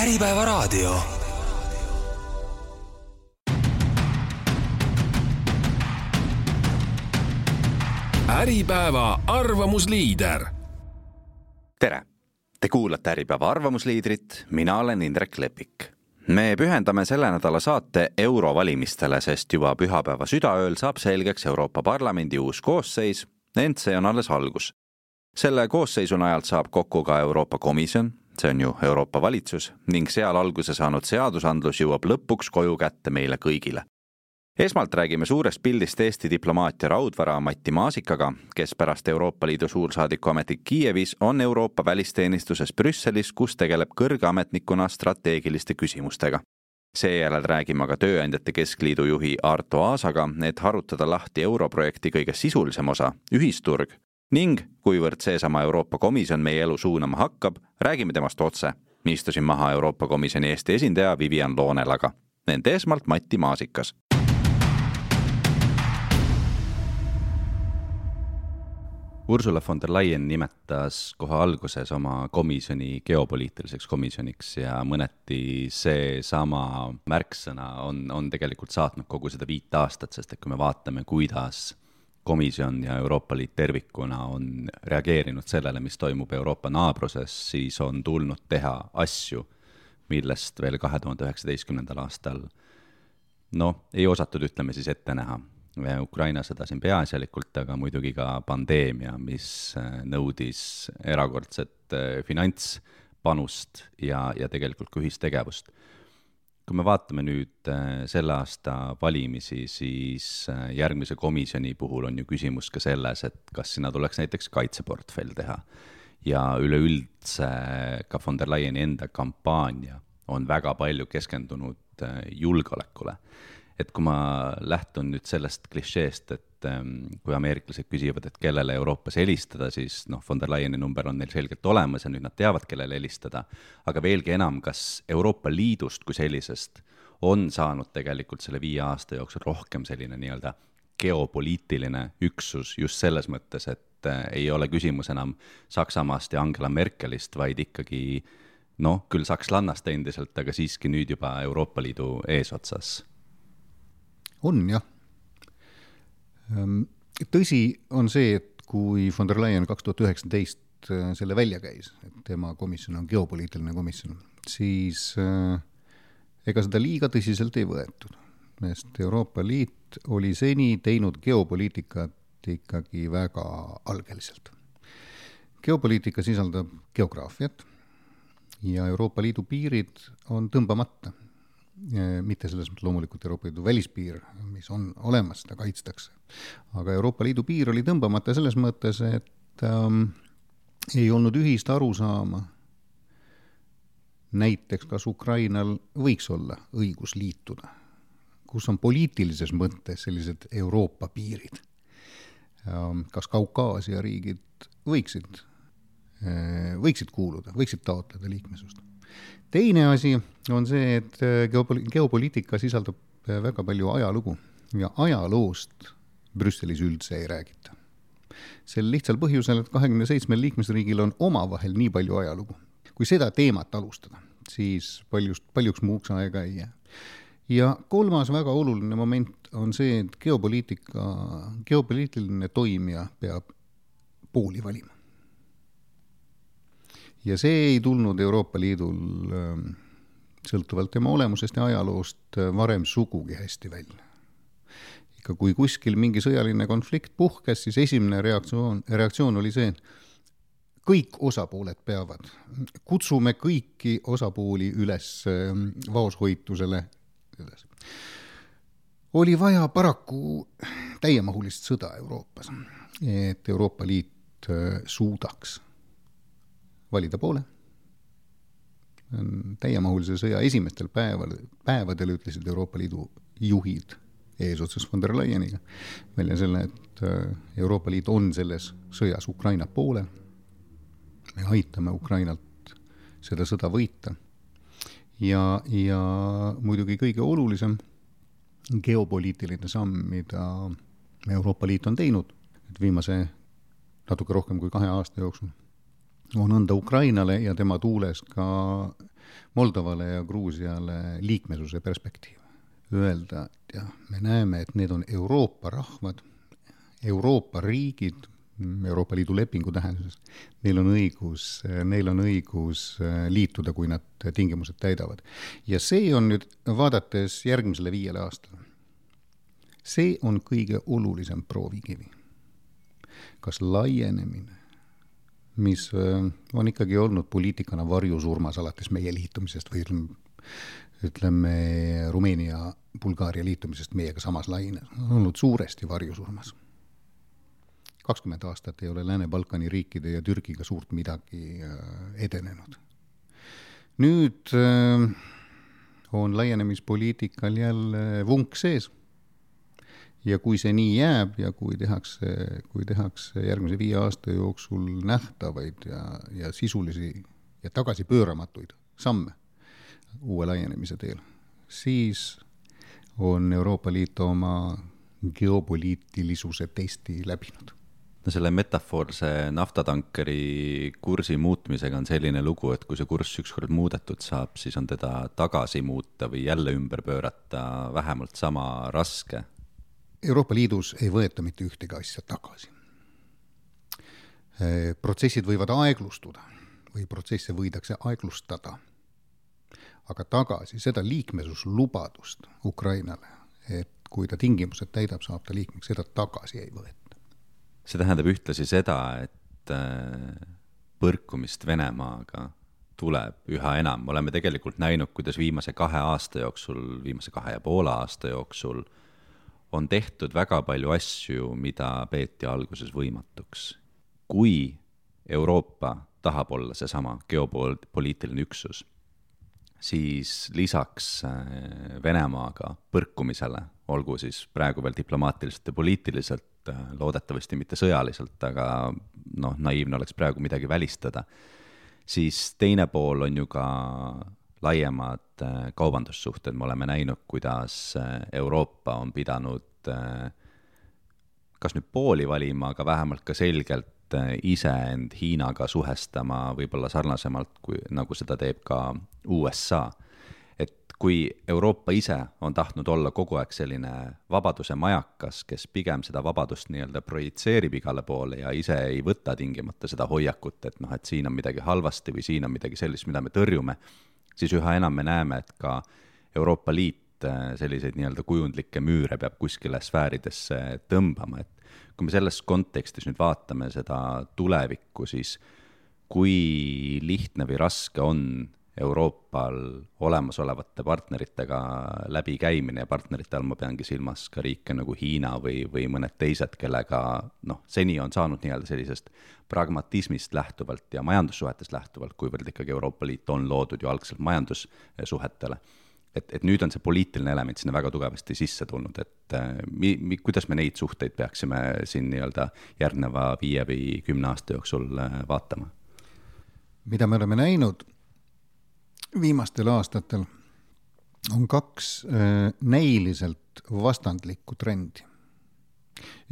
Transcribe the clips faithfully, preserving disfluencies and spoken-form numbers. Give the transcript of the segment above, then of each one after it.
Äripäeva raadio. Äripäeva arvamusliider. Tere! Te kuulate Äripäeva arvamusliidrit, mina olen Indrek Lepik. Me pühendame selle nädala saate eurovalimistele, sest juba pühapäeva südaööl saab selgeks Euroopa Parlamendi uus koosseis, ent see on alles algus. Selle koosseisun ajalt saab kokku ka Euroopa Komisjon, see on ju Euroopa valitsus, ning seal alguse saanud seadusandlus jõuab lõpuks koju kätte meile kõigile. Esmalt räägime suurest pildist Eesti diplomaatia raudvara Matti Maasikaga, kes pärast Euroopa Liidu suursaadiku ametit Kiievis on Euroopa välisteenistuses Brüsselis, kus tegeleb kõrge ametnikuna strateegiliste küsimustega. Seejärel räägime aga Tööandjate Keskliidu juhi Arto Aasaga, et harutada lahti europrojekti kõige sisulisem osa, ühisturg, ning kuivõrd seesama Euroopa Komisjon meie elu suunama hakkab, räägime temast otse. Istusin maha Euroopa Komisjoni Eesti esindaja Vivian Loonelaga. Nende esmalt Matti Maasikas. Ursula von der Leyen nimetas kohe alguses oma komisjoni geopoliitiliseks komisjoniks ja mõneti see sama märksõna on, on tegelikult saatnud kogu seda viit aastat, sest et kui me vaatame, kuidas komisjon ja Euroopa Liit tervikuna on reageerinud sellele, mis toimub Euroopa naabruses, siis on tulnud teha asju, millest veel kahe tuhande üheksateistkümnendal aastal no, ei osatud, ütleme siis ette näha. Ukraina sõda siin peaasjalikult, aga muidugi ka pandeemia, mis nõudis erakordset finantspanust ja, ja tegelikult ka ühistegevust. Kui me vaatame nüüd selle aasta valimisi, siis järgmise komisjoni puhul on ju küsimus ka selles, et kas sinna tuleks näiteks kaitseportfell teha. Ja üleüldse ka von der Leyeni enda kampaania on väga palju keskendunud julgeolekule. Et kui ma lähtun nüüd sellest klišeest, et kui ameeriklased küsivad, et kellele Euroopas helistada, siis noh, von der Leyeni number on neil selgelt olemas ja nüüd nad teavad, kellele helistada. Aga veelgi enam, kas Euroopa Liidust kui sellisest on saanud tegelikult selle viie aasta jooksul rohkem selline nii-öelda geopoliitiline üksus just selles mõttes, et ei ole küsimus enam Saksamaast ja Angela Merkelist, vaid ikkagi, noh, küll sakslannast endiselt, aga siiski nüüd juba Euroopa Liidu eesotsas. On, jah. Tõsi on see, et kui von der Leyen kaks tuhat üheksateist selle välja käis, et tema komisjon on geopoliitiline komisjon, siis ega seda liiga tõsiselt ei võetud. Sest Euroopa Liit oli seni teinud geopoliitikat ikkagi väga algeliselt. Geopoliitika sisaldab geograafiat ja Euroopa Liidu piirid on tõmbamata. Mitte selles mõttes loomulikult Euroopa Liidu välispiir, mis on olemas, seda kaitstakse. Aga Euroopa Liidu piir oli tõmbamata selles mõttes, et ähm, ei olnud ühist arusaama. Näiteks kas Ukrainal võiks olla õigus liituda, kus on poliitilises mõttes sellised Euroopa piirid. Ähm, kas Kaukaasia riigid võiksid, äh, võiksid kuuluda, võiksid taotleda liikmesust. Teine asi on see, et geopoliitika sisaldab väga palju ajalugu ja ajaloost Brüsselis üldse ei räägita. Sel lihtsal põhjusel, et kahekümne seitsmel liikmesriigil on omavahel nii palju ajalugu. Kui seda teemat alustada, siis paljust, paljuks muuks aega ei jää. Ja kolmas väga oluline moment on see, et geopoliitika, geopoliitiline toimija peab pooli valima. Ja see ei tulnud Euroopa Liidul sõltuvalt tema olemusest ja ajaloost varem sugugi hästi välja. Ikka kui kuskil mingi sõjaline konflikt puhkes, siis esimene reaktsioon, reaktsioon oli see, et kõik osapooled peavad. Kutsume kõiki osapooli üles vaoshoitusele. Oli vaja paraku täiemahulist sõda Euroopas, et Euroopa Liit suudaks valida poole. Täiemahulise sõja esimestel päeval, päevadel ütlesid Euroopa Liidu juhid eesotsas von der Leyeniga välja selle, et Euroopa Liit on selles sõjas Ukraina poole. Me aitame Ukrainalt seda sõda võita. Ja, ja muidugi kõige olulisem geopoliitiline samm, mida Euroopa Liit on teinud, et viimase natuke rohkem kui kahe aasta jooksul on anda Ukrainale ja tema tuules ka Moldovale ja Gruusiale liikmesuse perspektiiv. Öelda, et jah, me näeme, et need on Euroopa rahvad, Euroopa riigid, Euroopa Liidu lepingu tähenduses, neil on õigus, neil on õigus liituda, kui nad tingimused täidavad. Ja see on nüüd, vaadates järgmisele viiele aastale, see on kõige olulisem proovikivi. Kas laienemine, mis on ikkagi olnud poliitikana varjusurmas alates meie liitumisest või ütleme, ütleme Rumeenia, Bulgaaria liitumisest meiega samas laine, on olnud suuresti varjusurmas. kakskümmend aastat ei ole Lääne-Balkani riikide ja Türgiga suurt midagi edenenud. Nüüd on laienemispoliitikal jälle vunk sees. Ja kui see nii jääb ja kui tehakse, kui tehakse järgmise viie aasta jooksul nähtavaid ja, ja sisulisi ja tagasipööramatuid samme uue laienemise teel, siis on Euroopa Liit oma geopoliitilisuse testi läbinud. No selle metafoorse naftatankeri kursi muutmisega on selline lugu, et kui see kurss ükskord muudetud saab, siis on teda tagasi muuta või jälle ümber pöörata vähemalt sama raske. Euroopa Liidus ei võeta mitte ühtegi asja tagasi. Protsessid võivad aeglustuda või protsesse võidakse aeglustada, aga tagasi seda liikmesuslubadust Ukrainale, et kui ta tingimused täidab, saab ta liikmeks, seda tagasi ei võeta. See tähendab ühtlasi seda, et põrkumist Venemaaga tuleb üha enam. Oleme tegelikult näinud, kuidas viimase kahe aasta jooksul, viimase kahe ja poole aasta jooksul on tehtud väga palju asju, mida peeti alguses võimatuks. Kui Euroopa tahab olla seesama geopoliitiline üksus, siis lisaks Venemaaga põrkumisele, olgu siis praegu veel diplomaatiliselt ja poliitiliselt, loodetavasti mitte sõjaliselt, aga noh, naiivne oleks praegu midagi välistada, siis teine pool on ju ka laiemad kaubandussuhted. Me oleme näinud, kuidas Euroopa on pidanud kas nüüd pooli valima, aga vähemalt ka selgelt ise end Hiinaga suhestama võib-olla sarnasemalt, kui, nagu seda teeb ka U S A. Et kui Euroopa ise on tahtnud olla kogu aeg selline vabaduse majakas, kes pigem seda vabadust nii-öelda projitseerib igale poole ja ise ei võta tingimata seda hoiakut, et noh, et siin on midagi halvasti või siin on midagi sellist, mida me tõrjume, siis üha enam me näeme, et ka Euroopa Liit selliseid nii-öelda kujundlikke müüre peab kuskile sfääridesse tõmbama. Et kui me selles kontekstis nüüd vaatame seda tulevikku, siis kui lihtne või raske on Euroopal olemasolevate partneritega läbikäimine ja partnerite all ma peangi silmas ka riike nagu Hiina või, või mõned teised, kellega noh, seni on saanud nii-öelda sellisest pragmatismist lähtuvalt ja majandussuhetest lähtuvalt, kuivõrd ikkagi Euroopa Liit on loodud ju algselt majandussuhetele. Et, et nüüd on see poliitiline element sinna väga tugevasti sisse tulnud, et mi, mi, kuidas me neid suhteid peaksime siin nii-öelda järgneva viie või kümne aasta jooksul vaatama? Mida me oleme näinud viimastel aastatel on kaks äh, näiliselt vastandlikku trendi.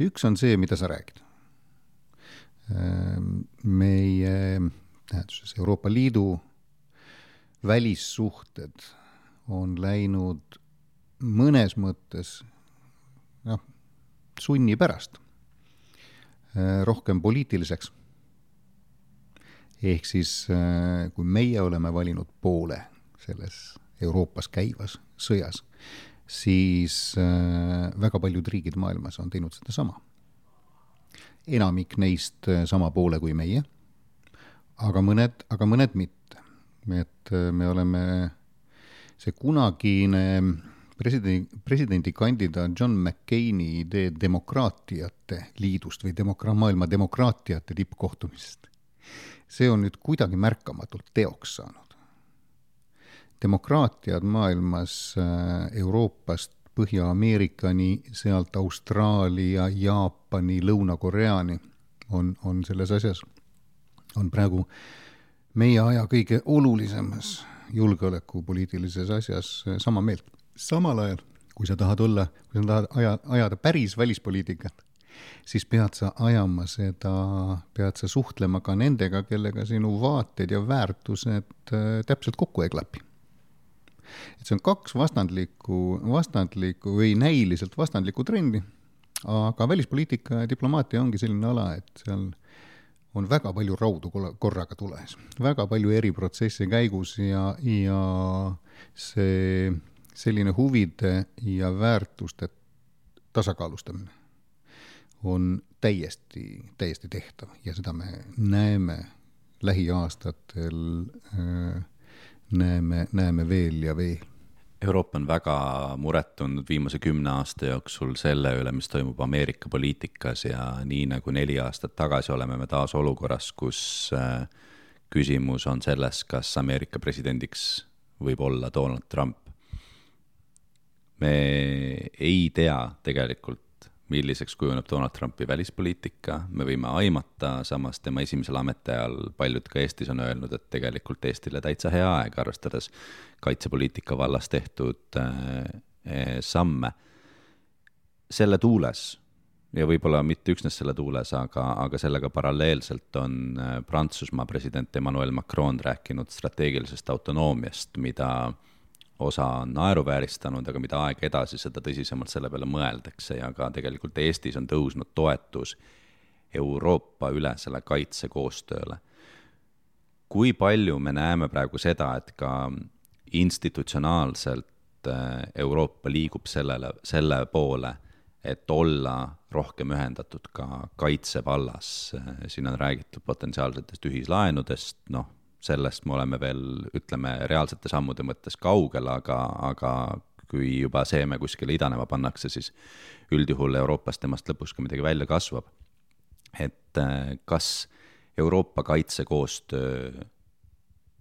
Üks on see, mida sa räägid. Äh, meie tähenduses Euroopa Liidu välissuhted on läinud mõnes mõttes noh, sunni pärast äh, rohkem poliitiliseks. Ehk siis, kui meie oleme valinud poole selles Euroopas käivas sõjas, siis väga paljud riigid maailmas on teinud seda sama. Enamik neist sama poole kui meie, aga mõned, aga mõned mitte. Et me oleme see kunagine presidendi, presidendi kandidaat John McCaini idee demokraatiate liidust või demokra, maailma demokraatiate tippkohtumisest. See on nüüd kuidagi märkamatult teoks saanud. Demokraatiad maailmas Euroopast Põhja-Ameerikani, sealt Austraalia, Jaapani, Lõuna-Koreani on, on selles asjas, on praegu meie aja kõige olulisemas julgeolekupoliitilises asjas sama meelt. Samal ajal, kui sa tahad olla, kui sa tahad aja, ajada päris välispoliitikat, siis pead sa ajama seda, pead sa suhtlema ka nendega, kellega sinu vaated ja väärtused täpselt kokku ei klapi. Et see on kaks vastandlikku, vastandlikku või näiliselt vastandlikku trendi, aga välispoliitika ja diplomaatia ongi selline ala, et seal on väga palju raudu korraga tules, väga palju eri protsesse käigus ja, ja see selline huvide ja väärtuste tasakaalustamine on täiesti, täiesti tehtav ja seda me näeme lähiaastatel, näeme, näeme veel ja veel. Euroopa on väga muret tundnud viimase kümne aasta jooksul selle üle, mis toimub Ameerika poliitikas ja nii nagu neli aastat tagasi oleme me taas olukorras, kus küsimus on selles, kas Ameerika presidendiks võib olla Donald Trump. Me ei tea tegelikult, milliseks kujuneb Donald Trumpi välispoliitika, me võime aimata, samas tema esimesel ametiajal paljud ka Eestis on öelnud, et tegelikult Eestile täitsa hea aeg, arvestades kaitsepoliitika vallas tehtud äh, samme. Selle tuules, ja võib-olla mitte üksnes selle tuules, aga, aga sellega paralleelselt on Prantsusmaa president Emmanuel Macron rääkinud strateegilisest autonoomiast, mida osa on naeruvääristanud, aga mida aeg edasi seda tõsisemalt selle peale mõeldakse ja ka tegelikult Eestis on tõusnud toetus Euroopa üle selle kaitsekoostööle. Kui palju me näeme praegu seda, et ka institutsionaalselt Euroopa liigub sellele, selle poole, et olla rohkem ühendatud ka kaitsevallas. Siin on räägitud potentsiaalsetest ühislaenudest, noh, sellest me oleme veel, ütleme, reaalsete sammude mõttes kaugel, aga, aga kui juba seeme kuskile idanema pannakse, siis üldjuhul Euroopas temast lõpuks ka midagi välja kasvab. Et kas Euroopa kaitsekoostöö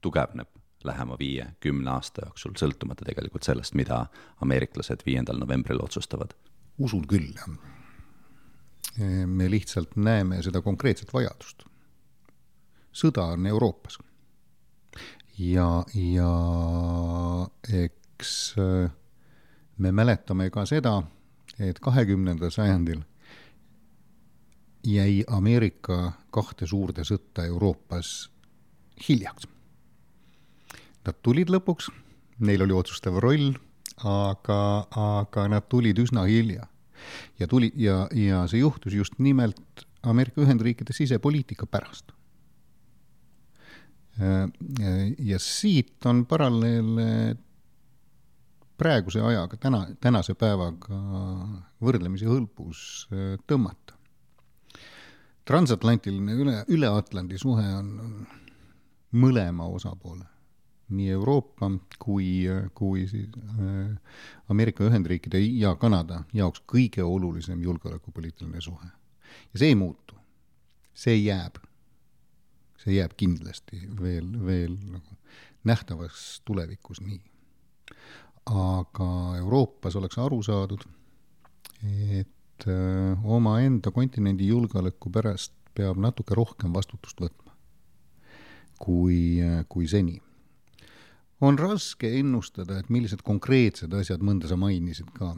tugevneb lähema viie, kümne aasta jooksul, sõltumata tegelikult sellest, mida ameeriklased viiendal novembril otsustavad? Usun küll. Me lihtsalt näeme seda konkreetset vajadust. Sõda on Euroopas. Ja, ja eks me mäletame ka seda, et kahekümnendal sajandil jäi Ameerika kahte suurde sõtta Euroopas hiljaks. Nad tulid lõpuks, neil oli otsustav roll, aga, aga nad tulid üsna hilja. Ja, tuli, ja, ja see juhtus just nimelt Ameerika Ühendriikide sisepoliitika pärast. Ja siit on paralleel praeguse ajaga, täna, tänase päevaga võrdlemisi hõlpus tõmmata. Transatlantiline üle, üleatlandi suhe on mõlema osapoole, nii Euroopa kui, kui siis Ameerika Ühendriikide ja Kanada jaoks kõige olulisem julgeolekupoliitiline suhe. Ja see ei muutu, see jääb. See jääb kindlasti veel, veel nagu nähtavas tulevikus nii. Aga Euroopas oleks aru saadud, et oma enda kontinendi julgeoleku pärast peab natuke rohkem vastutust võtma kui, kui seni. On raske ennustada, et millised konkreetsed asjad, mõnda sa mainisid ka,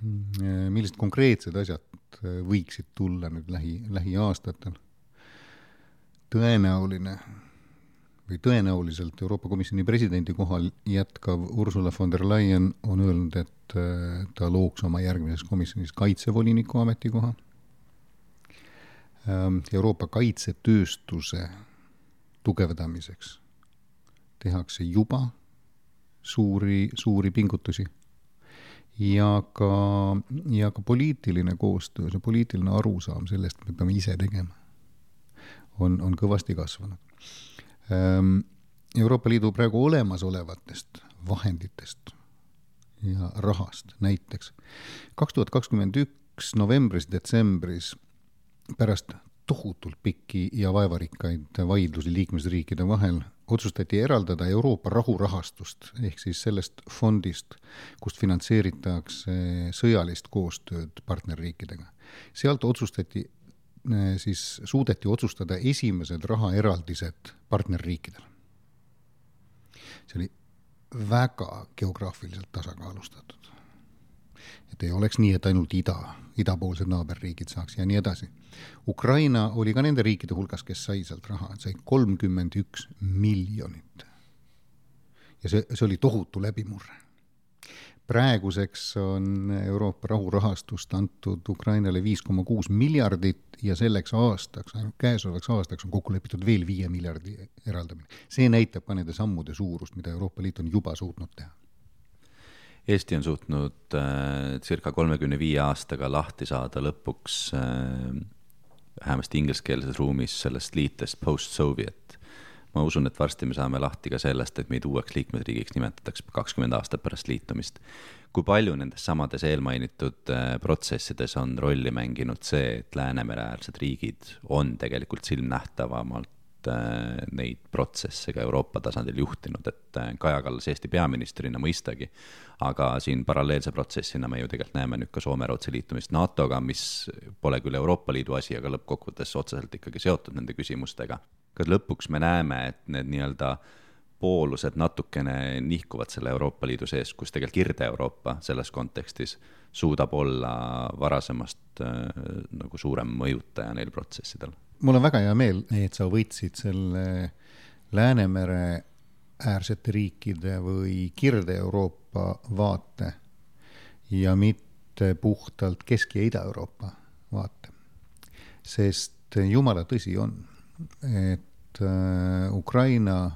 millised konkreetsed asjad võiksid tulla nüüd lähi, lähiaastatel. Tõenäoline või tõenäoliselt Euroopa Komisjoni presidendi kohal jätkav Ursula von der Leyen on öelnud, et ta looks oma järgmises komisjonis kaitsevoliniku ametikoha. Euroopa kaitsetööstuse tugevdamiseks tehakse juba suuri, suuri pingutusi ja ka, ja ka poliitiline koostöö, see poliitiline arusaam sellest, me peame ise tegema. On, on kõvasti kasvanud. Euroopa Liidu praegu olemasolevatest vahenditest ja rahast näiteks. kaks tuhat kakskümmend üks novembris, detsembris pärast tohutult pikki ja vaevarikkaid vaidlusi liikmesriikide vahel otsustati eraldada Euroopa rahurahastust ehk siis sellest fondist, kust finantseeritakse sõjalist koostööd partnerriikidega. Sealt otsustati siis suudeti otsustada esimesed rahaeraldised partnerriikidele. See oli väga geograafiliselt tasakaalustatud. et ei oleks nii, et ainult ida, idapoolsed naaberriigid saaks ja nii edasi. Ukraina oli ka nende riikide hulgas, kes sai sealt raha, sai kolmkümmend üks miljonit. Ja see, see oli tohutu läbimurre. Praeguseks on Euroopa rahurahastust antud Ukrainale viis koma kuus miljardit ja selleks aastaks, ainult käesolevaks aastaks on kokku lepitud veel viie miljardi eraldamine. See näitab ka nende sammude suurust, mida Euroopa Liit on juba suutnud teha. Eesti on suutnud äh, circa kolmekümne viie aastaga lahti saada lõpuks äh, vähemasti ingliskeelses ruumis sellest liitest post-Soviet. Ma usun, et varsti me saame lahti ka sellest, et meid uueks liikmesriigiks nimetatakse kakskümmend aastat pärast liitumist. Kui palju nendes samades eelmainitud protsessides on rolli mänginud see, et Läänemere-äärsed riigid on tegelikult silmnähtavamalt neid protsesse ka Euroopa tasandil juhtinud, et Kaja Kallas Eesti peaministrina mõistagi, aga siin paralleelse protsessina me ju tegelikult näeme nüüd ka Soome-Rootsi liitumist NATOga, mis pole küll Euroopa Liidu asi, aga lõppkokkuvõttes otseselt ikkagi seotud nende küsimustega. Kas lõpuks me näeme, et need nii-öelda poolused natukene nihkuvad selle Euroopa Liidu sees, kus tegelikult Kirde-Euroopa selles kontekstis suudab olla varasemast äh, nagu suurem mõjutaja neil protsessidel? Mul on väga hea meel, et sa võtsid selle Läänemere äärsete riikide või Kirde-Euroopa vaate ja mitte puhtalt Kesk- ja Ida-Euroopa vaate. Sest jumala tõsi on, et Ukraina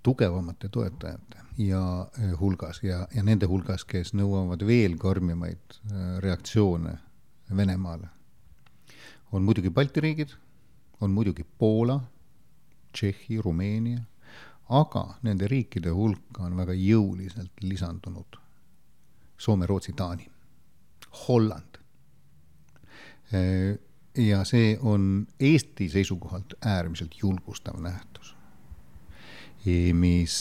tugevamate toetajate ja hulgas ja, ja nende hulgas, kes nõuavad veel karmimaid reaktsioone Venemaale, on muidugi Balti riigid, on muidugi Poola, Tšehhi, Rumeenia, aga nende riikide hulka on väga jõuliselt lisandunud Soome, Rootsi, Taani, Holland. Ja see on Eesti seisukohalt äärmiselt julgustav nähtus, mis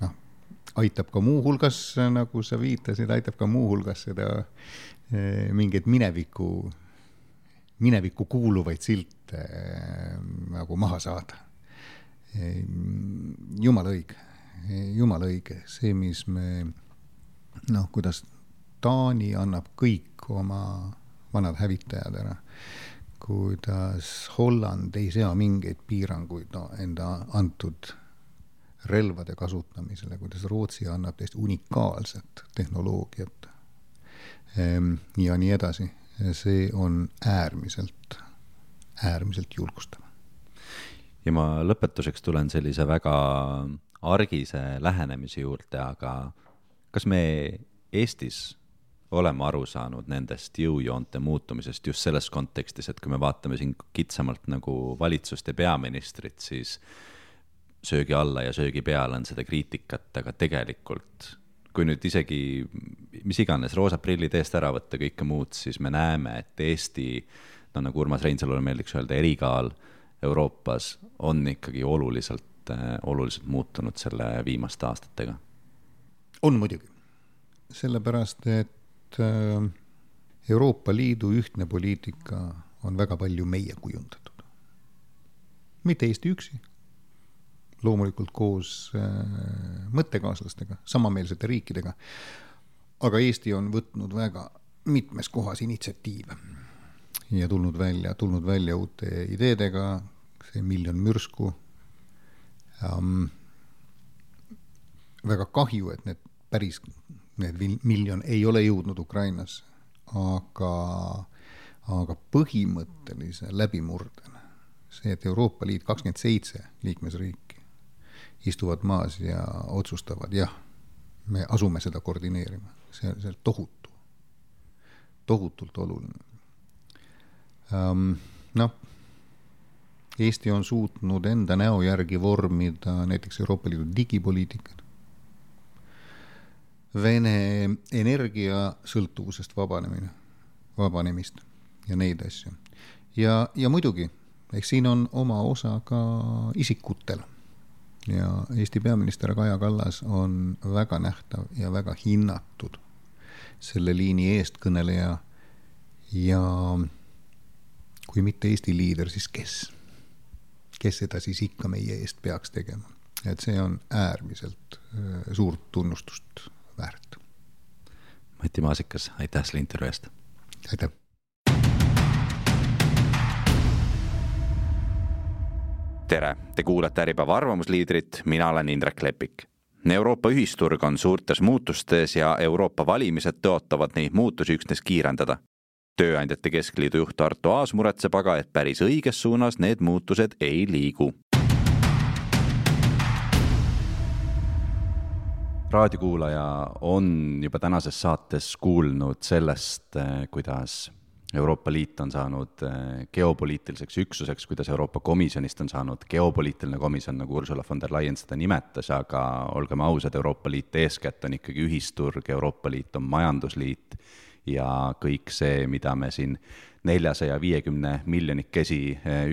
no, aitab ka muu hulgas, nagu sa viitasid, aitab ka muu hulgas seda mingeid mineviku, mineviku kuuluvaid silte nagu maha saada. Jumala õige, jumala õige. See, mis me, noh, kuidas Taani annab kõik oma vanad hävitajad ära, kuidas Holland ei sea mingeid piiranguid no, enda antud relvade kasutamisele, kuidas Rootsi annab täiesti unikaalset tehnoloogiat ja nii edasi. See on äärmiselt, äärmiselt julgustav. Ja ma lõpetuseks tulen sellise väga argise lähenemise juurde, aga kas me Eestis oleme aru saanud nendest jõujoonte muutumisest just selles kontekstis, et kui me vaatame siin kitsamalt nagu valitsust ja peaministrit, siis söögi alla ja söögi peal on seda kriitikat, aga tegelikult, kui nüüd isegi mis iganes roosad prillid eest ära võtta kõike muud, siis me näeme, et Eesti, no nagu Urmas Reinsalule meeldiks öelda, erikaal Euroopas on ikkagi oluliselt, oluliselt muutunud selle viimaste aastatega. On muidugi. Sellepärast, et Euroopa Liidu ühtne poliitika on väga palju meie kujundatud. Mitte Eesti üksi, loomulikult koos mõttekaaslastega, samameelsete riikidega, aga Eesti on võtnud väga mitmes kohas initsiatiive ja tulnud välja, tulnud välja uute ideedega, see miljon mürsku. Ähm, väga kahju, et need päris need miljon ei ole jõudnud Ukrainas, aga, aga põhimõttelise läbimurdena see, et Euroopa Liit kakskümmend seitse liikmesriiki istuvad maas ja otsustavad, jah, me asume seda koordineerima. See on tohutu, tohutult oluline. Um, noh, Eesti on suutnud enda näo järgi vormida näiteks Euroopa Liidu digipoliitikat, Vene energia sõltuvusest vabanemine, vabanemist ja neid asju. Ja, ja muidugi, eks siin on oma osa ka isikutel. Ja Eesti peaminister Kaja Kallas on väga nähtav ja väga hinnatud selle liini eestkõneleja ja kui mitte Eesti liider, siis kes? Kes seda siis ikka meie eest peaks tegema? Et see on äärmiselt suurt tunnustust väärt. Mati Maasikas, aitäh selle intervjuu eest! Aitäh! Tere, te kuulate Äripäeva arvamusliidrit, mina olen Indrek Lepik. Euroopa ühisturg on suurtes muutustes ja Euroopa valimised tõotavad neid muutusi üksnes kiirendada. Tööandjate Keskliidu juht Arto Aas muretseb aga, et päris õiges suunas need muutused ei liigu. Raadiokuulaja on juba tänases saates kuulnud sellest, kuidas Euroopa Liit on saanud geopoliitiliseks üksuseks, kuidas Euroopa Komisjonist on saanud geopoliitiline komisjon, nagu Ursula von der Leyen seda nimetas, aga olgem ausad, Euroopa Liit eeskätt on ikkagi ühisturg, Euroopa Liit on majandusliit ja kõik see, mida me siin neljasaja viiekümne miljonikesi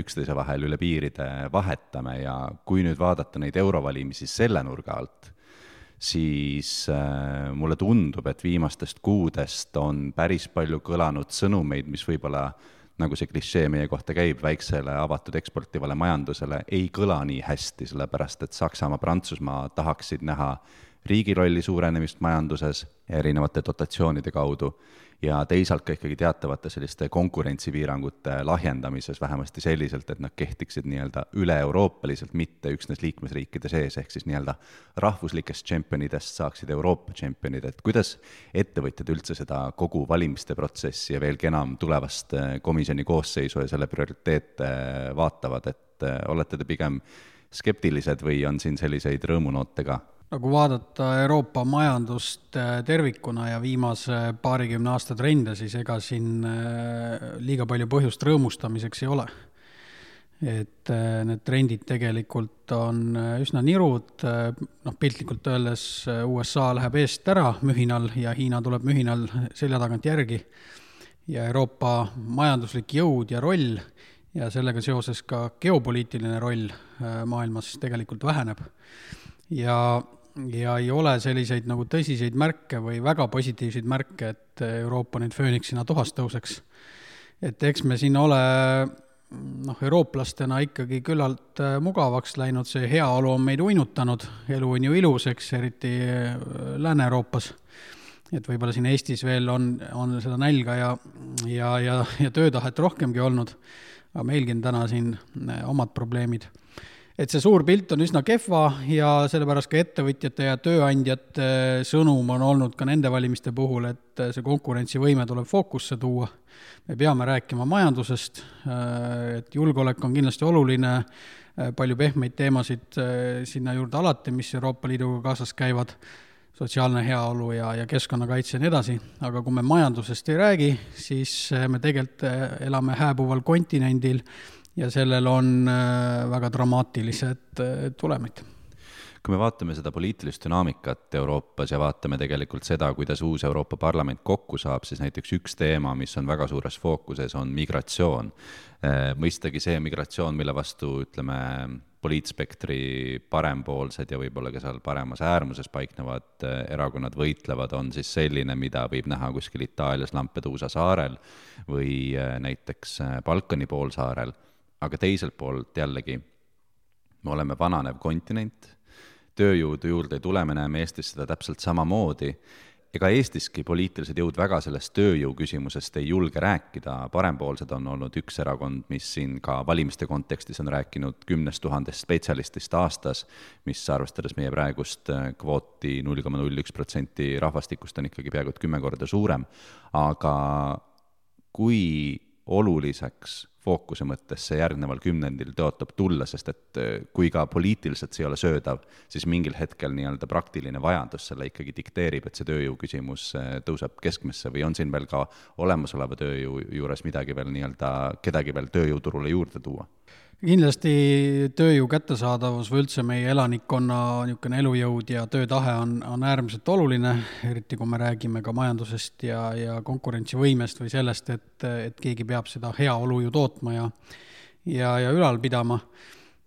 üksteise vahel üle piiride vahetame ja kui nüüd vaadata neid eurovalimisi selle nurga alt, siis äh, mulle tundub, et viimastest kuudest on päris palju kõlanud sõnumeid, mis võib-olla, nagu see klišee meie kohta käib, väiksele avatud eksportivale majandusele ei kõla nii hästi, sellepärast et Saksamaa, Prantsusmaa tahaksid näha riigirolli suurenemist majanduses erinevate dotatsioonide kaudu ja teisalt ka ikkagi teatavate selliste konkurentsipiirangute lahjendamises vähemasti selliselt, et nad kehtiksid nii-öelda üle-euroopaliselt, mitte üksnes liikmesriikide sees, ehk siis nii-öelda rahvuslikest tšempionidest saaksid Euroopa tšempionid, et kuidas ettevõtjad üldse seda kogu valimiste protsessi ja veelgi enam tulevast komisjoni koosseisu ja selle prioriteete vaatavad, et olete te pigem skeptilised või on siin selliseid rõõmunoote ka? Nagu vaadata Euroopa majandust tervikuna ja viimase paarikümne aasta trende, siis ega siin liiga palju põhjust rõõmustamiseks ei ole. Et need trendid tegelikult on üsna nirud, noh, piltlikult öeldes U S A läheb eest ära mühinal ja Hiina tuleb mühinal selja tagant järgi ja Euroopa majanduslik jõud ja roll ja sellega seoses ka geopoliitiline roll maailmas tegelikult väheneb. Ja, ja ei ole selliseid nagu tõsiseid märke või väga positiivseid märke, et Euroopa nüüd fööniksina tuhast tõuseks. Et eks me siin ole noh, eurooplastena ikkagi küllalt mugavaks läinud, see heaolu on meid uinutanud, elu on ju ilus, eks, eriti Lääne-Euroopas. Et võib-olla siin Eestis veel on, on seda nälga ja, ja, ja, ja töötahet rohkemgi olnud, aga meilgi on täna siin omad probleemid. Et see suur pilt on üsna kehva ja sellepärast ka ettevõtjate ja tööandjate sõnum on olnud ka nende valimiste puhul, et see konkurentsivõime tuleb fookusse tuua. Me peame rääkima majandusest, et julgeolek on kindlasti oluline, palju pehmeid teemasid sinna juurde alati, mis Euroopa Liiduga kaasas käivad, sotsiaalne heaolu ja, ja keskkonnakaitse ja nii edasi, aga kui me majandusest ei räägi, siis me tegelikult elame hääbuval kontinendil ja sellel on väga dramaatilised tulemid. Kui me vaatame seda poliitilist dünaamikat Euroopas ja vaatame tegelikult seda, kuidas uus Euroopa Parlament kokku saab, siis näiteks üks teema, mis on väga suures fookuses, on migratsioon. Mõistagi see migratsioon, mille vastu, ütleme, poliitspektri parempoolsed ja võib-olla ka seal paremas äärmuses paiknevad erakonnad võitlevad, on siis selline, mida võib näha kuskil Itaalias Lampedusa saarel või näiteks Balkani poolsaarel. Aga teiselt poolt jällegi me oleme vananev kontinent, tööjõudu juurde ei tule, me näeme Eestis seda täpselt samamoodi. Ega Eestiski poliitilised jõud väga sellest tööjõu küsimusest ei julge rääkida. Parempoolsed on olnud üks erakond, mis siin ka valimiste kontekstis on rääkinud kümnest tuhandest spetsialistist aastas, mis arvestades meie praegust kvooti null koma null üks protsenti rahvastikust on ikkagi peaaegu kümme korda suurem. Aga kui oluliseks fookuse mõttes see järgneval kümnendil tõotab tulla, sest et kui ka poliitiliselt see ei ole söödav, siis mingil hetkel nii-öelda praktiline vajadus selle ikkagi dikteerib, et see tööjõu küsimus tõuseb keskmesse või on siin veel ka olemasoleva tööjõu juures midagi veel nii-öelda, kedagi veel tööjõuturule juurde tuua? Kindlasti tööjõu kättesaadavus või üldse meie elanikkonna niisugune elujõud ja töötahe on, on äärmiselt oluline, eriti kui me räägime ka majandusest ja, ja konkurentsivõimest või sellest, et, et keegi peab seda heaolu ju tootma ja, ja, ja ülal pidama.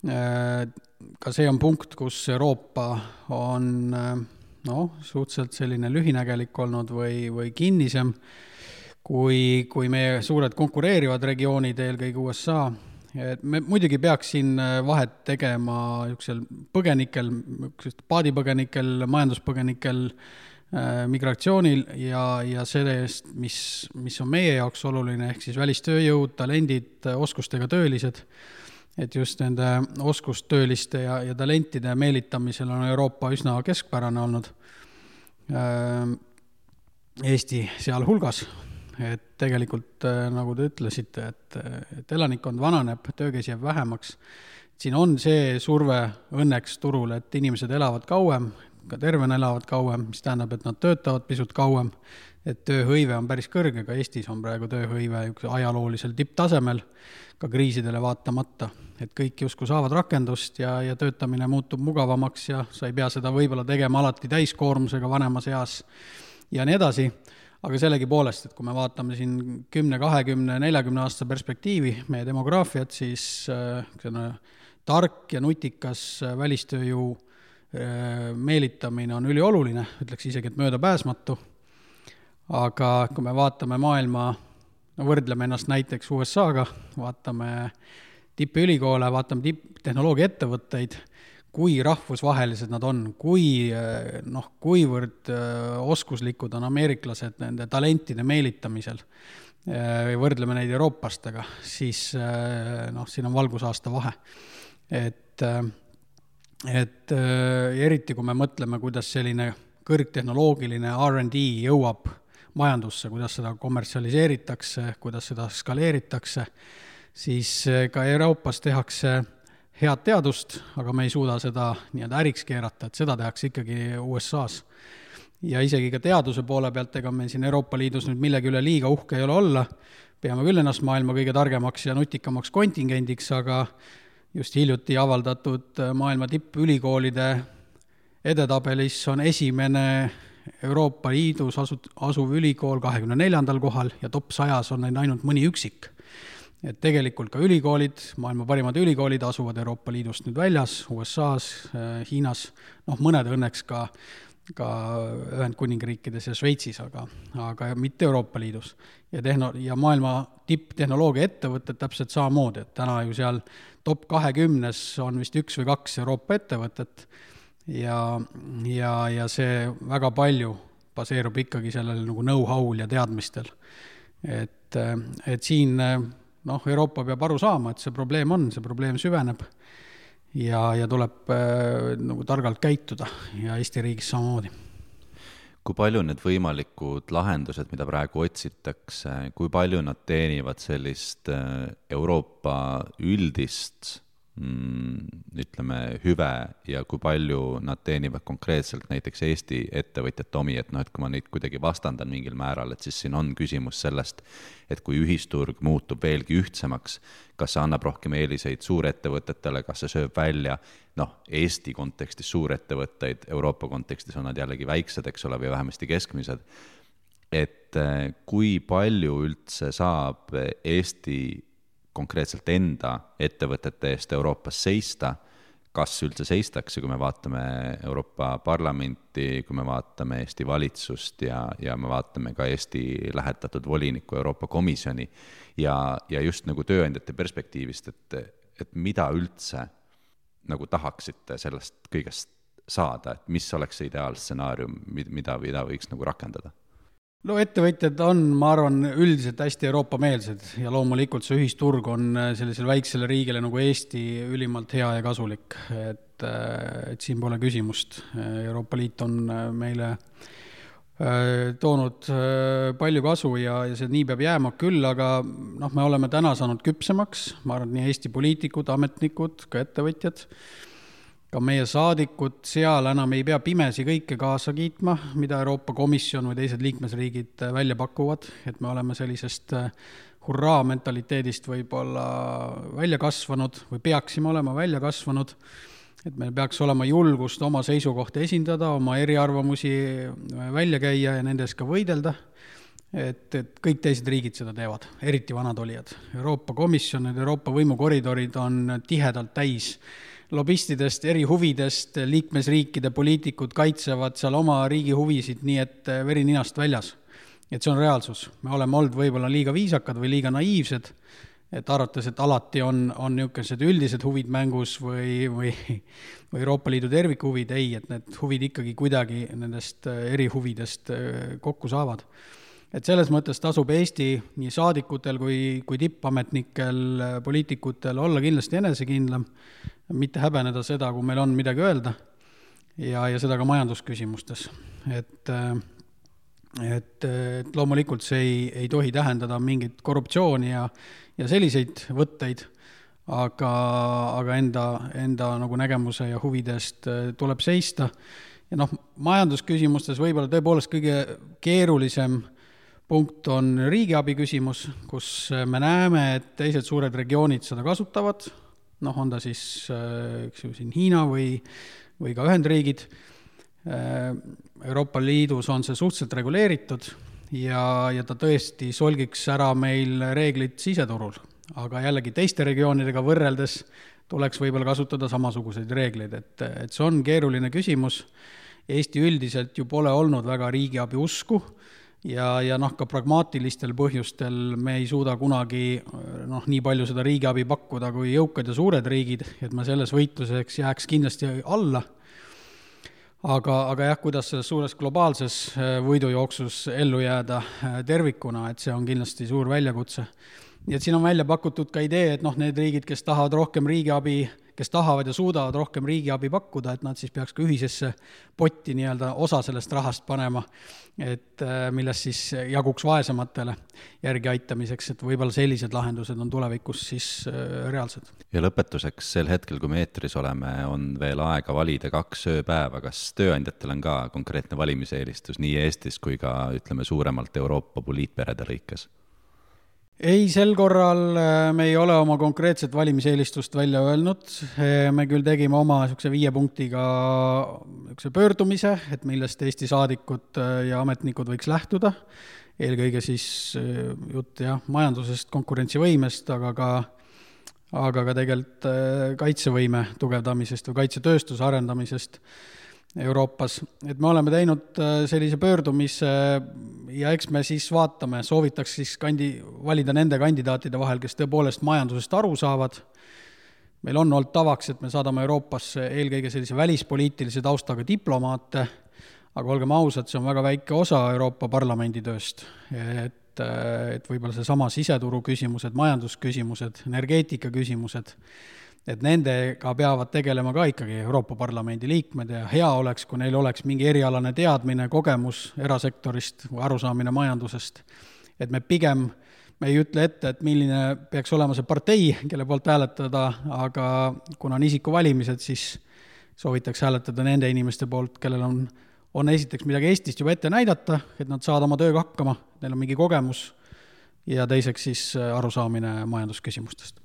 Ka see on punkt, kus Euroopa on no, suhteliselt selline lühinägelik olnud või, või kinnisem, kui, kui meie suured konkureerivad regioonid, eelkõige U S A. Et me muidugi peaks siin vahet tegema põgenikel, paadipõgenikel, majanduspõgenikel, migratsioonil ja, ja sellest, mis, mis on meie jaoks oluline, ehk siis välistööjõud, talendid, oskustega töölised, et just nende oskustööliste ja, ja talentide meelitamisel on Euroopa üsna keskpärane olnud, Eesti sealhulgas, et tegelikult, nagu te ütlesite, et, et elanikkond vananeb, töökäsi jääb vähemaks, siin on see surve õnneks turul, et inimesed elavad kauem, ka tervena elavad kauem, mis tähendab, et nad töötavad pisut kauem, et tööhõive on päris kõrge, ka Eestis on praegu tööhõive ajaloolisel tipptasemel, ka kriisidele vaatamata, et kõik justkui saavad rakendust ja, ja töötamine muutub mugavamaks ja sa ei pea seda võib-olla tegema alati täiskoormusega vanemas eas ja nii edasi, aga sellegi poolest, et kui me vaatame siin kümne, kahekümne, neljakümne aasta perspektiivi meie demograafiat, siis äh, tark ja nutikas välistööjõu meelitamine on ülioluline, ütleks isegi, et möödapääsmatu, aga kui me vaatame maailma, no võrdleme ennast näiteks U S A-ga, vaatame tippülikoole, vaatame tipptehnoloogia ettevõtteid, kui rahvusvahelised nad on, kui, noh, kuivõrd oskuslikud on ameeriklased nende talentide meelitamisel, võrdleme neid eurooplastega, siis noh, siin on valgusaasta vahe. Et et eriti kui me mõtleme, kuidas selline kõrgtehnoloogiline R and D jõuab majandusse, kuidas seda kommertsialiseeritakse, kuidas seda skaleeritakse, siis ka Euroopas tehakse head teadust, aga me ei suuda seda nii-öelda äriks keerata, et seda tehakse ikkagi U S A-s. Ja isegi ka teaduse poole pealt, ega me siin Euroopa Liidus nüüd millegi üle liiga uhke ei ole olla, peame küll ennast maailma kõige targemaks ja nutikamaks kontingendiks, aga just hiljuti avaldatud maailma tippülikoolide edetabelis on esimene Euroopa Liidus asuv ülikool kahekümne neljandal kohal ja top sajas on neil ainult mõni üksik. Et tegelikult ka ülikoolid, maailma parimad ülikoolid asuvad Euroopa Liidust nüüd väljas, U S A-s, Hiinas, noh mõned õnneks ka, ka Ühendkuningriikides ja Šveitsis, aga, aga mitte Euroopa Liidus. Ja, tehno- ja maailma tipptehnoloogia ettevõtted täpselt samamoodi, et täna ju seal top kahekümnes on vist üks või kaks Euroopa ettevõtet ja, ja, ja see väga palju baseerub ikkagi sellel nagu know-how'l ja teadmistel. Et, et siin noh, Euroopa peab aru saama, et see probleem on, see probleem süveneb ja, ja tuleb nagu targalt käituda ja Eesti riigis samamoodi. Kui palju need võimalikud lahendused, mida praegu otsitakse, kui palju nad teenivad sellist Euroopa üldist, ütleme, hüve ja kui palju nad teenivad konkreetselt näiteks Eesti ettevõtjate omi, et noh, et kui ma neid kuidagi vastandan mingil määral, et siis siin on küsimus sellest, et kui ühisturg muutub veelgi ühtsemaks, kas see annab rohkem eeliseid suurettevõtetele, kas see sööb välja, noh, Eesti kontekstis suurettevõtteid, Euroopa kontekstis on nad jällegi väiksed, eks ole, või vähemasti keskmised, et kui palju üldse saab Eesti konkreetselt enda ettevõtete eest Euroopas seista, kas üldse seistakse, kui me vaatame Euroopa Parlamenti, kui me vaatame Eesti valitsust ja, ja me vaatame ka Eesti lähetatud voliniku Euroopa Komisjoni ja, ja just nagu tööandjate perspektiivist, et, et mida üldse nagu tahaksite sellest kõigest saada, et mis oleks see ideaalstsenaarium, mida, mida võiks nagu rakendada? No ettevõtjad on, ma arvan, üldiselt hästi Euroopa-meelsed ja loomulikult see ühisturg on sellisele väiksele riigile nagu Eesti ülimalt hea ja kasulik, et, et siin pole küsimust. Euroopa Liit on meile toonud palju kasu ja, ja see nii peab jääma küll, aga noh, me oleme täna saanud küpsemaks, ma arvan, nii Eesti poliitikud, ametnikud, ka ettevõtjad, ka meie saadikud seal enam ei pea pimesi kõike kaasa kiitma, mida Euroopa Komisjon või teised liikmesriigid välja pakuvad, et me oleme sellisest hurraa mentaliteedist võib-olla välja kasvanud või peaksime olema välja kasvanud, et meil peaks olema julgust oma seisukohti esindada, oma eriarvamusi välja käia ja nendes ka võidelda, et, et kõik teised riigid seda teevad, eriti vanad olijad. Euroopa Komisjon, Euroopa võimukoridorid on tihedalt täis lobistidest, eri huvidest, liikmesriikide poliitikud kaitsevad seal oma riigi huvisid nii, et veri ninast väljas. Et see on reaalsus. Me oleme olnud võib-olla liiga viisakad või liiga naiivsed et arvates, et alati on, on niisugused üldised huvid mängus või, või, või Euroopa Liidu tervikhuvid, ei, et need huvid ikkagi kuidagi nendest erihuvidest kokku saavad. Et selles mõttes tasub Eesti nii saadikutel kui, kui tippametnikel, poliitikutel olla kindlasti enesekindlam, mitte häbeneda seda, kui meil on midagi öelda ja, ja seda ka majandusküsimustes. Et Et, et loomulikult see ei, ei tohi tähendada mingit korruptsiooni ja, ja selliseid võtteid, aga, aga enda, enda nagu nägemuse ja huvidest tuleb seista. Ja noh, majandusküsimustes võib-olla tõepoolest kõige keerulisem punkt on riigiabi küsimus, kus me näeme, et teised suured regioonid seda kasutavad, noh, on ta siis eks ju, siin Hiina või, või ka Ühendriigid. Euroopa Liidus on see suhteliselt reguleeritud ja, ja ta tõesti solgiks ära meil reeglid siseturul, aga jällegi teiste regioonidega võrreldes tuleks võib-olla kasutada samasuguseid reegleid, et, et see on keeruline küsimus. Eesti üldiselt ju pole olnud väga riigiabi usku ja, ja noh, ka pragmaatilistel põhjustel me ei suuda kunagi noh, nii palju seda riigiabi pakkuda kui jõukad ja suured riigid, et me selles võitluseks jääks kindlasti alla. Aga, aga jah, kuidas selles suures globaalses võidujooksus ellu jääda tervikuna, et see on kindlasti suur väljakutse. Nii et siin on välja pakutud ka idee, et noh, need riigid, kes tahavad rohkem riigiabi, kes tahavad ja suudavad rohkem riigiabi pakkuda, et nad siis peaks ka ühisesse potti nii-öelda osa sellest rahast panema, et millest siis jaguks vaesematele järgi aitamiseks, et võib-olla sellised lahendused on tulevikus siis reaalsed. Ja lõpetuseks sel hetkel, kui me eetris oleme, on veel aega valida kaks ööpäeva. Kas tööandjatel on ka konkreetne valimiseelistus nii Eestis kui ka ütleme suuremalt Euroopa poliitperede lõikes? Ei, sel korral me ei ole oma konkreetset valimiseelistust välja öelnud. Me küll tegime oma viie punktiga pöördumise, et millest Eesti saadikud ja ametnikud võiks lähtuda. Eelkõige siis jutt jah, majandusest, konkurentsivõimest, aga ka, aga ka tegelikult kaitsevõime tugevdamisest või kaitsetööstuse arendamisest Euroopas. Et me oleme teinud sellise pöördumise ja eks me siis vaatame, soovitaks siis kandi, valida nende kandidaatide vahel, kes tõepoolest majandusest aru saavad. Meil on olnud tavaks, et me saadame Euroopasse eelkõige sellise välispoliitilise taustaga diplomaate, aga olgem ausad, see on väga väike osa Euroopa Parlamendi tööst. Et, et võib-olla see sama siseturu küsimused, majandusküsimused, energeetika küsimused, et nendega peavad tegelema ka ikkagi Euroopa Parlamendi liikmed ja hea oleks, kui neil oleks mingi erialane teadmine, kogemus erasektorist või arusaamine majandusest. Et me pigem, me ei ütle ette, et milline peaks olema see partei, kelle poolt hääletada, aga kuna on isiku valimised, siis soovitaks hääletada nende inimeste poolt, kellel on, on esiteks midagi Eestist juba ette näidata, et nad saavad oma tööga hakkama, neil on mingi kogemus ja teiseks siis arusaamine majandusküsimustest.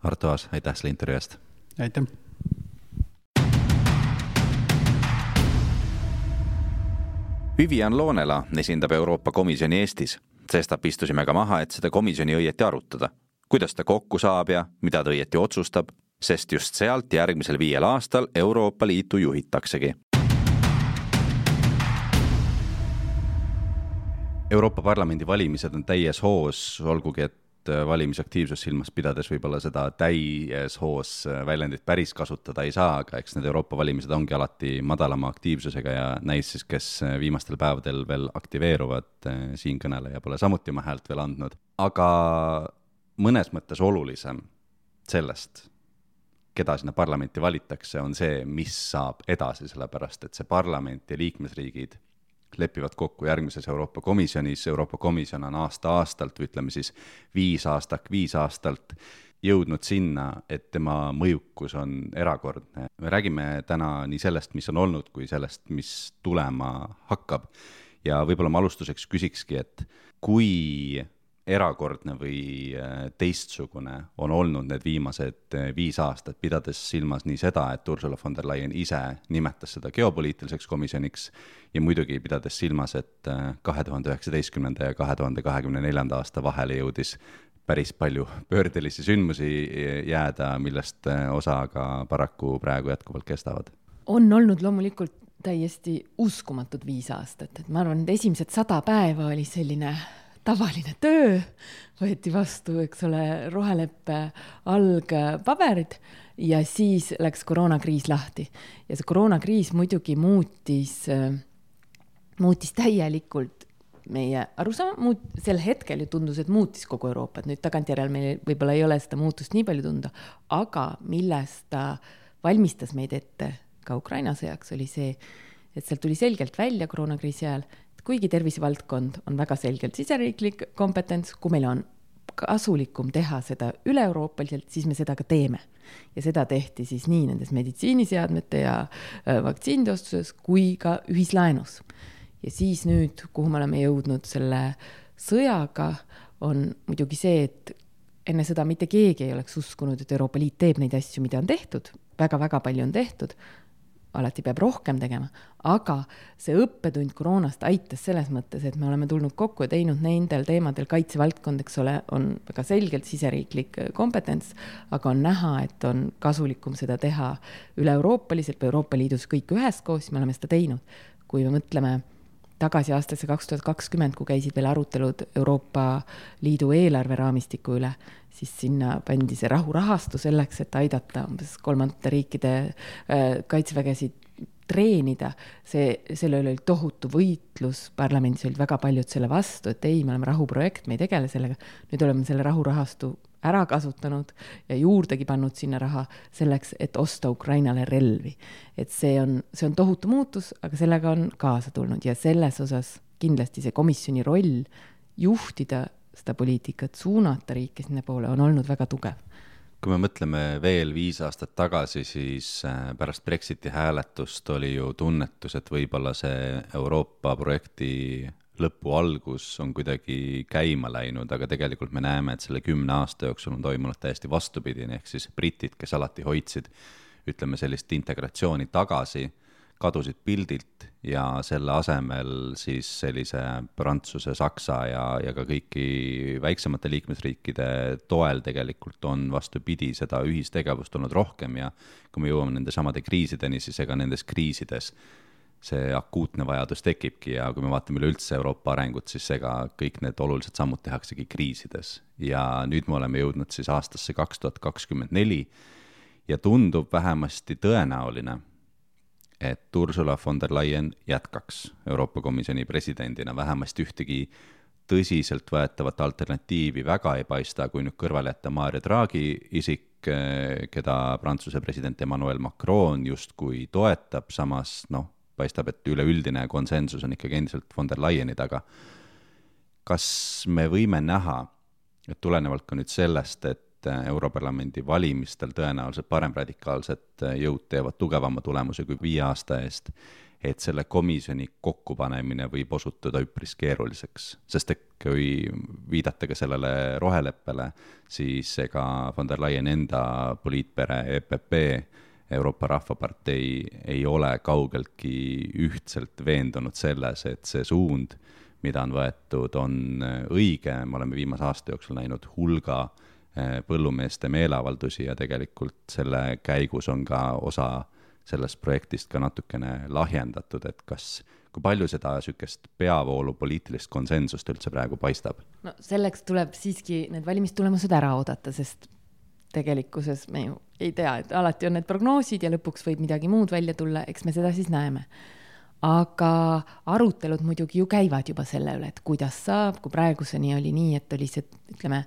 Arto Aas, aitäh selle intervjuu eest. Aitäh. Vivian Loonela esindab Euroopa Komisjoni Eestis. Sestap istusime ka maha, et seda komisjoni õieti arutada. Kuidas ta kokku saab ja mida ta õieti otsustab, sest just sealt järgmisel viiel aastal Euroopa Liitu juhitaksegi. Euroopa Parlamendi valimised on täies hoos, olgugi et valimisaktiivsus silmas pidades võib-olla seda täies hoos väljendit päris kasutada ei saa, aga eks need Euroopa valimised ongi alati madalama aktiivsusega ja näis siis, kes viimastel päevadel veel aktiveeruvad, siin kõneleja pole samuti oma häält veel andnud. Aga mõnes mõttes olulisem sellest, keda sinna parlamenti valitakse, on see, mis saab edasi, sellepärast et see parlament ja liikmesriigid lepivad kokku järgmises Euroopa Komisjonis. Euroopa Komisjon on aasta-aastalt, või ütleme siis viis aastak, viis aastalt jõudnud sinna, et tema mõjukus on erakordne. Me räägime täna nii sellest, mis on olnud, kui sellest, mis tulema hakkab. Ja võib-olla ma alustuseks küsikski, et kui erakordne või teistsugune on olnud need viimased viis aastat, pidades silmas nii seda, et Ursula von der Leyen ise nimetas seda geopoliitiliseks komisjoniks ja muidugi pidades silmas, et kahe tuhande üheksateistkümnenda ja kahe tuhande kahekümne neljanda aasta vahele jõudis päris palju pöördelisi sündmusi jääda, millest osa ka paraku praegu jätkuvalt kestavad. On olnud loomulikult täiesti uskumatud viis aastat, et ma arvan, et esimesed sada päeva oli selline tavaline töö, võeti vastu, eks ole, roheleppe algpaberid ja siis läks koroonakriis lahti. Ja see koroonakriis muidugi muutis, muutis täielikult meie arusaama, muut, sel hetkel ju tundus, et muutis kogu Euroopat. Nüüd tagantjärel meil võib-olla ei ole seda muutust nii palju tunda, aga millest ta valmistas meid ette ka Ukraina sõjaks oli see, et sealt tuli selgelt välja koroonakriisi ajal, et kuigi tervisevaldkond on väga selgelt siseriiklik kompetents, kui meil on kasulikum teha seda üle-euroopaliselt, siis me seda ka teeme. Ja seda tehti siis nii nendes meditsiiniseadmete ja vaktsiinitostuses kui ka ühislaenus. Ja siis nüüd, kuhu me oleme jõudnud selle sõjaga, on muidugi see, et enne seda mitte keegi ei oleks uskunud, et Euroopa Liit teeb neid asju, mida on tehtud. Väga-väga palju on tehtud. Alati peab rohkem tegema, aga see õppetund koroonast aitas selles mõttes, et me oleme tulnud kokku ja teinud nendel teemadel kaitsevaldkond, eks ole, on väga selgelt siseriiklik kompetents, aga on näha, et on kasulikum seda teha üle-euroopaliselt või Euroopa Liidus kõik üheskoos, me oleme seda teinud. Kui me mõtleme tagasi aastasse kaks tuhat kakskümmend, kui käisid veel arutelud Euroopa Liidu eelarve raamistiku üle, siis sinna pandi see rahurahastu selleks, et aidata umbes kolmandate riikide kaitsevägesid treenida. See, selle oli tohutu võitlus, parlamendis olid väga paljud selle vastu, et ei, me oleme rahuprojekt, me ei tegele sellega. Nüüd oleme selle rahurahastu ära kasutanud ja juurdegi pannud sinna raha selleks, et osta Ukrainale relvi. Et see on, see on tohutu muutus, aga sellega on kaasa tulnud ja selles osas kindlasti see komisjoni roll juhtida seda poliitikat, suunata riike sinna poole on olnud väga tugev. Kui me mõtleme veel viis aastat tagasi, siis pärast Brexiti hääletust oli ju tunnetus, et võib-olla see Euroopa projekti lõpu algus on kuidagi käima läinud, aga tegelikult me näeme, et selle kümne aasta jooksul on toimunud täiesti vastupidine, ehk siis britid, kes alati hoidsid, ütleme sellist integratsiooni tagasi, kadusid pildilt ja selle asemel siis sellise Prantsuse, Saksa ja, ja ka kõiki väiksemate liikmesriikide toel tegelikult on vastupidi seda ühistegevust olnud rohkem ja kui me jõuame nende samade kriisideni, siis ega nendes kriisides see akuutne vajadus tekibki ja kui me vaatame üleüldse Euroopa arengut, siis ega kõik need olulised sammud tehaksegi kriisides. Ja nüüd me oleme jõudnud siis aastasse kaks tuhat kakskümmend neli ja tundub vähemasti tõenäoline, et Ursula von der Leyen jätkaks Euroopa Komisjoni presidendina, vähemasti ühtegi tõsiselt võetavat alternatiivi väga ei paista, kui nüüd kõrvale jätta Mario Draghi isik, keda Prantsuse president Emmanuel Macron justkui toetab, samas noh, paistab, et üleüldine konsensus on ikkagi endiselt von der Leyeni taga. Kas me võime näha, et tulenevalt ka nüüd sellest, et Europarlamendi valimistel tõenäoliselt paremradikaalsed jõud teevad tugevama tulemuse kui viie aasta eest, et selle komisjoni kokkupanemine võib osutuda üpris keeruliseks, sest et kui viidata ka sellele roheleppele, siis ega von der Leyen enda poliitpere E P P, Euroopa Rahvapartei ei ole kaugeltki ühtselt veendunud selles, et see suund, mida on võetud, on õige. Me oleme viimase aasta jooksul näinud hulga põllumeeste meeleavaldusi ja tegelikult selle käigus on ka osa sellest projektist ka natukene lahjendatud, et kas, kui palju seda sükest peavoolu poliitilist konsensust üldse praegu paistab? No selleks tuleb siiski need valimistulemused ära oodata, sest tegelikkuses me ju ei tea, et alati on need prognoosid ja lõpuks võib midagi muud välja tulla, eks me seda siis näeme. Aga arutelud muidugi ju käivad juba selle üle, et kuidas saab, kui praeguseni oli nii, et oli see, ütleme,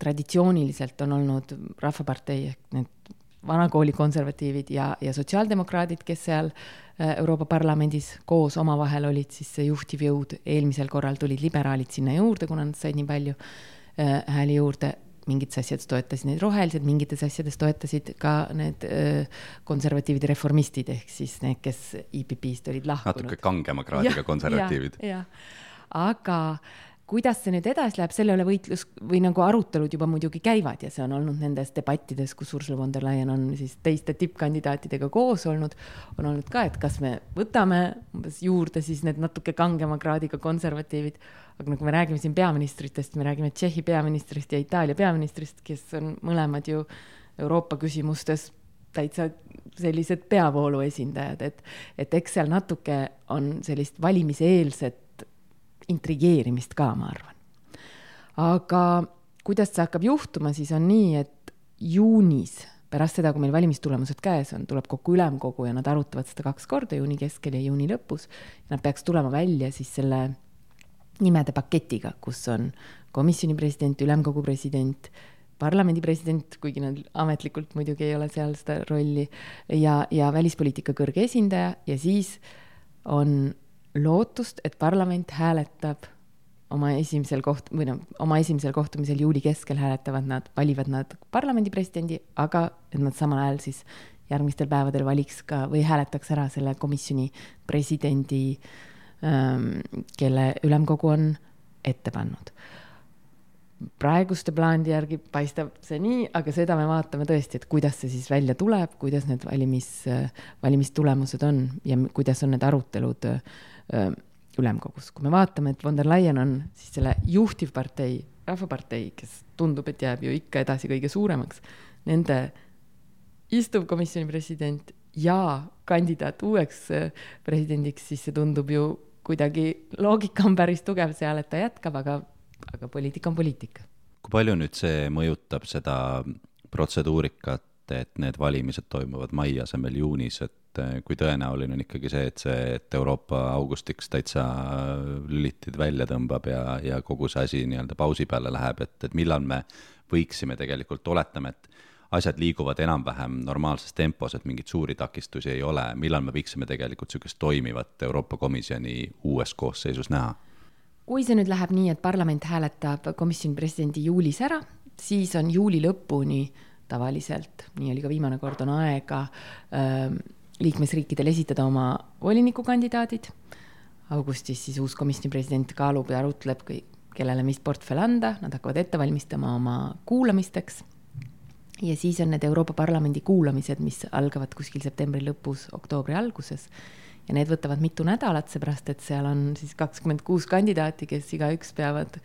traditsiooniliselt on olnud Rahvapartei ehk need vanakooli konservatiivid ja, ja sotsiaaldemokraadid, kes seal Euroopa Parlamendis koos omavahel olid, siis see juhtiv jõud. Eelmisel korral tulid liberaalid sinna juurde, kuna nad said nii palju hääli juurde. Mingites asjades toetasid need rohelised, mingites asjades toetasid ka need konservatiivid reformistid, ehk siis need, kes I P P-st olid lahkunud. Natuke kangema kraadiga konservatiivid. Ja, ja. Aga kuidas see nüüd edasi läheb, selle üle võitlus või nagu arutelud juba muidugi käivad ja see on olnud nendes debattides, kus Ursula von der Leyen on siis teiste tippkandidaatidega koos olnud, on olnud ka, et kas me võtame juurde siis need natuke kangema kraadiga konservatiivid, aga nagu me räägime siin peaministritest, me räägime Tšehhi peaministrist ja Itaalia peaministrist, kes on mõlemad ju Euroopa küsimustes täitsa sellised peavoolu esindajad, et, et eks seal natuke on sellist valimiseelset intrigeerimist ka, ma arvan. aga kuidas see hakkab juhtuma, siis on nii, et juunis, pärast seda, kui meil valimistulemused käes on, tuleb kokku ülemkogu ja nad arutavad seda kaks korda, juuni keskel ja juuni lõpus. Nad peaks tulema välja siis selle nimede paketiga, kus on komisjoni president, ülemkogu president, parlamendi president, kuigi nad ametlikult muidugi ei ole seal seda rolli, ja, ja välispoliitika kõrge esindaja, ja siis on lootust, et parlament hääletab oma esimesel koht- või no, oma esimesel kohtumisel juuli keskel hääletavad nad, valivad nad parlamendi presidendi, aga et nad samal ajal siis järgmistel päevadel valiks ka või hääletaks ära selle komisjoni presidendi, kelle ülemkogu on ette pannud. Praeguste plaandi järgi paistab see nii, aga seda me vaatame tõesti, et kuidas see siis välja tuleb, kuidas need valimis, valimistulemused on ja kuidas on need arutelud ülemkogus. Kui me vaatame, et von der Leyen on siis selle juhtivpartei, rahvapartei, kes tundub, et jääb ju ikka edasi kõige suuremaks, nende istuv komisjoni president ja kandidaat uueks presidendiks, siis see tundub ju kuidagi, loogika on päris tugev seal, et ta jätkab, aga aga poliitika on poliitika. Kui palju nüüd see mõjutab seda protseduurikat, et need valimised toimuvad mai asemel juunis, et kui tõenäoline on ikkagi see, et see, et Euroopa augustiks täitsa lülitid välja tõmbab ja, ja kogu see asi nii-öelda pausi peale läheb, et, et millal me võiksime tegelikult, oletame, et asjad liiguvad enam-vähem normaalses tempos, et mingit suuri takistusi ei ole, millal me võiksime tegelikult sellist toimivat Euroopa Komisjoni uues koosseisus näha? Kui see nüüd läheb nii, et parlament hääletab komisjoni presidendi juulis ära, siis on juuli lõpuni tavaliselt, nii oli ka viimane kord, on aega äh, liikmesriikidel esitada oma volinikukandidaadid. Augustis siis uus komisjoni president kaalub ja arutleb, kellele mis portfell anda, nad hakkavad ette valmistama oma kuulamisteks. Ja siis on need Euroopa Parlamendi kuulamised, mis algavad kuskil septembri lõpus, oktoobri alguses. Ja need võtavad mitu nädalat, seepärast, et seal on siis kakskümmend kuus kandidaati, kes igaüks peavad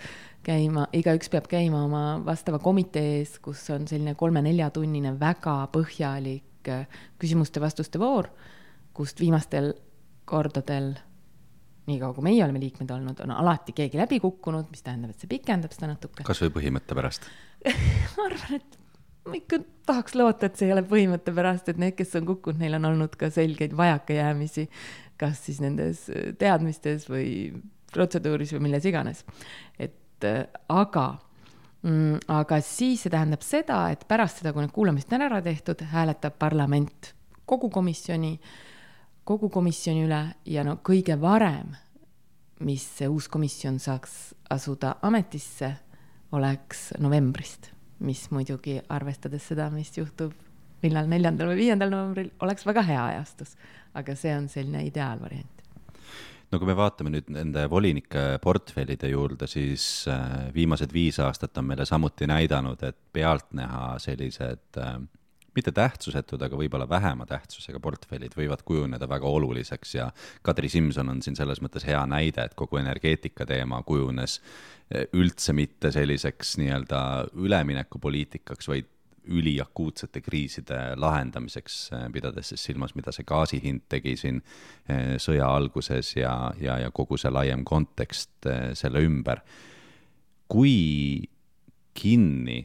käima, igaüks peab käima oma vastava komitees, kus on selline kolme-nelja tunnine väga põhjalik küsimuste-vastuste voor, kust viimastel kordadel, nii kaua kui meie oleme liikmed olnud, on alati keegi läbi kukkunud, mis tähendab, et see pikendab seda natuke. Kas või põhimõtte pärast? Ma arvan, et ma ikka tahaks loota, et see ei ole põhimõtte pärast, et need, kes on kukkunud, neil on olnud ka selgeid vajakajäämisi, kas siis nendes teadmistes või protseduuris või milles iganes. Et aga, mm, aga siis see tähendab seda, et pärast seda, kui need kuulamist on ära tehtud, hääletab parlament kogu komisjoni, kogu komisjoni üle ja no kõige varem, mis see uus komisjon saaks asuda ametisse, oleks novembrist, mis muidugi arvestades seda, mis juhtub millal neljandal või viiendal novembril, oleks väga hea ajastus, aga see on selline ideaalvariant. No kui me vaatame nüüd nende volinike portfellide juurde, siis viimased viis aastat on meile samuti näidanud, et pealtnäha sellised mitte tähtsusetud, aga võib-olla vähema tähtsusega portfellid võivad kujuneda väga oluliseks ja Kadri Simson on siin selles mõttes hea näide, et kogu energeetika teema kujunes üldse mitte selliseks nii-öelda üleminekupoliitikaks, vaid üliakuutsete kriiside lahendamiseks, pidades siis silmas, mida see gaasihind tegi siin sõja alguses ja, ja, ja kogu see laiem kontekst selle ümber. Kui kinni